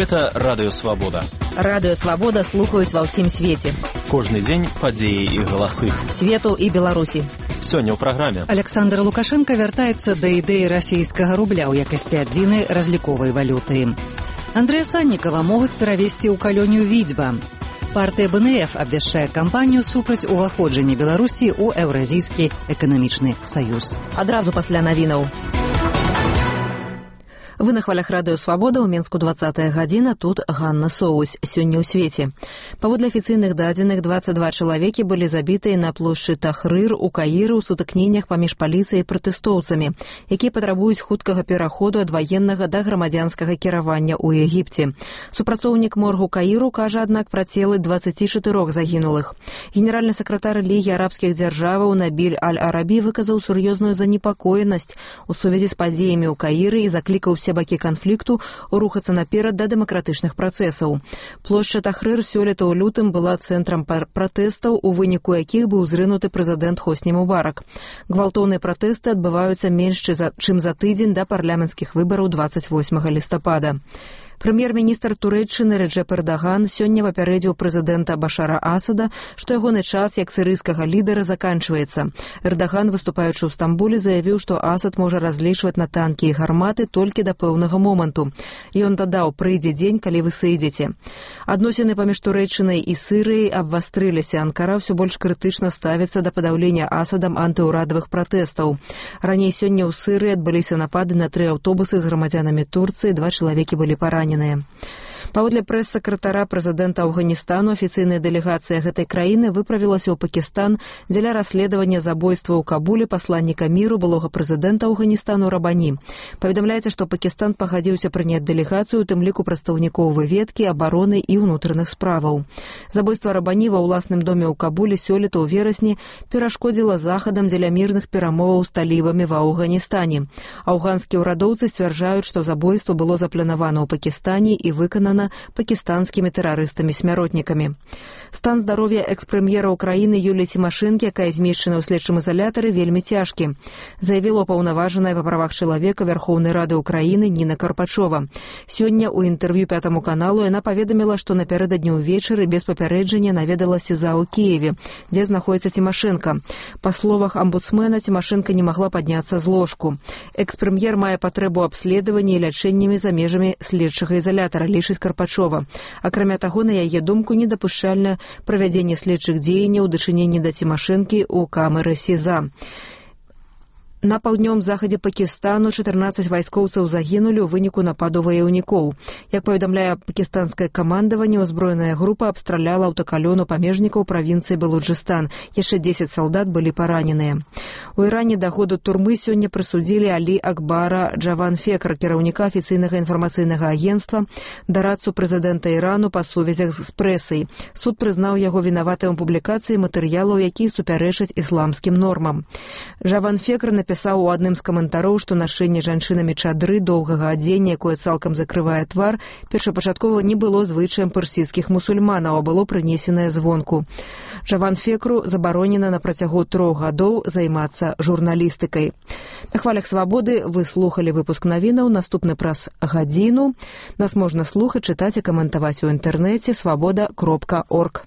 Гэта Радыё Свабода. Радыё Свабода слухаюць ва ўсім свеце. Кожны дзень падзеі і галасы. Свету і Беларусі. Сёння ў праграме. Александр Лукашенко вяртаецца да ідэі расійскага рубля ў якасці адзінай разліковай валюты. Андрэя Саннікава могуць перавесці ў калонію Відзьба. Партыя БНФ абвяшчае кампанію супраць уваходжання Беларусі ў Еўразійскі эканамічны саюз. Адразу пасля навінаў. Вы на хвалях Радыё Свабода, ў Менску 20-я гадзіна, тут Ганна Соусь. Сёння ў свеце. Паводле афіцыйных дадзеных, 22 чалавекі былі забітыя на плошчы Тахрыр у Каіры ў сутыкненнях паміж паліцыяй і пратэстоўцамі, якія патрабуюць хуткага пераходу ад ваеннага да грамадзянскага кіравання ў Егіпце. Супрацоўнік моргу Каіру кажа, аднак, пра целы 24 загінулых. Генеральны сакратар Лігі арабскіх дзяржаваў Набіль Аль-Арабі выказаў сур'ёзную занепакоенасць у сувязі з падзеямі ў Каіры і заклікаў усе бакі канфлікту рухацца наперад да дэмакратычных працэсаў. Плошча Тахрыр сёлета ў лютым была цэнтрам пратэстаў, у выніку якіх быў зрынуты прэзідэнт Хосні Мубарак. Гвалтоўныя пратэсты адбываюцца менш чым за тыдзень да парламенцкіх выбараў 28 лістапада. Прэм'ер-міністр Турэччыны Реджеп Эрдаган сёння папярэдзіў прэзідэнта Башара Асада, што ягоны час як сірыйскага лідара заканчваецца. Эрдаган, выступаючы ў Стамбуле, заявіў, што Асад можа разлічваць на танкі і гарматы толькі да пэўнага моманту. Ён дадаў: прыйдзе дзень, калі вы сыйдзеце. Адносіны паміж Турэччынай і Сірыяй абвастрыліся. Анкара ўсё больш крытычна ставіцца да падаўлення Асадам антыўрадавых пратэстаў. Раней сёння ў Сірыі адбыліся напады на 3 аўтобусы з грамадзянамі Турцыі, 2 чалавекі былі паранены. Паводле прэс-сакратара прэзідэнта Афганістану, афіцыйная дэлегацыя гэтай краіны выправілася ў Пакістан дзеля расследавання забойства ў Кабуле пасланніка міру былога прэзідэнта Афганістану Рабані. Паведамляецца, што Пакістан пагадзіўся прыняць дэлегацыю, у тым ліку прадстаўнікоў выведкі, абароны і ўнутраных справаў. Забойства Рабані ва ўласным доме ў Кабуле сёлета ў верасні перашкодзіла захадам дзеля мірных перамоваў з талібамі ва Афганістане. Афганскія ўрадоўцы сцвярджаюць, што забойства было запланавана ў Пакістане і выканана пакістанскімі тэрарыстамі-смяротнікамі. Стан здароўя экс-прэм'ера ўкраіны Юліі Цімашэнкі, якая змешчана ў следчым изалятары, вельмі цяжкі, заявіла паўнаважаная па правах чалавека Вярхоўнай Рады ўкраіны Ніна Карпачова. Сёння ў інтэрв'ю 5 каналу яна паведаміла, што напярэдадні ўвечары без папярэджання наведалася СІЗА ў Кіеве, дзе знаходзіцца Цімашэнка. Па словах амбудсмена, Цімашэнка не магла падняцца з ложку. Экс-прэм'ер мае патрэбу абследавання і лячэннямі за межамі следчага изалятара, лічыць Карпачова. Акрамя таго, на яе думку, недапушчальна правядзенне следчых дзеянняў у дачыненні да Цімашэнкі ў камеры СІЗА. На паўднёвым захадзе Пакістану 14 вайскоўцаў загінулі ў выніку нападу ваяўнікоў. Як паведамляе пакістанскае камандаванне, узброеная група абстраляла аўтакалёну памежнікаў правінцыі Балуджыстан. Яшчэ 10 салдат былі параненыя. У Іране да году турмы сёння прысудзілі Алі Акбара Джаванфекра, кіраўніка афіцыйнага інфармацыйнага агенцтва, дарадцу прэзідэнта Ірану па сувязях з прэсай. Суд прызнаў яго вінаватым у публікацыі матэрыялаў, якія супярэчаць ісламскім нормам. Джаванфекр напісаў у адным з каментароў, што нашэнне жанчынамі чадры доўгага адзення, якое цалкам закрывае твар, першапачаткова не было звычаем персідскіх мусульманаў, а было прынесенае звонку. Джаванфекру забаронена на працягу 3 гадоў займацца журналістыкай. На хвалях Свабоды вы слухалі выпуск навінаў, наступны праз гадзіну. Нас можна слухаць, чытаць і каментаваць у інтэрнэце свабода.орг.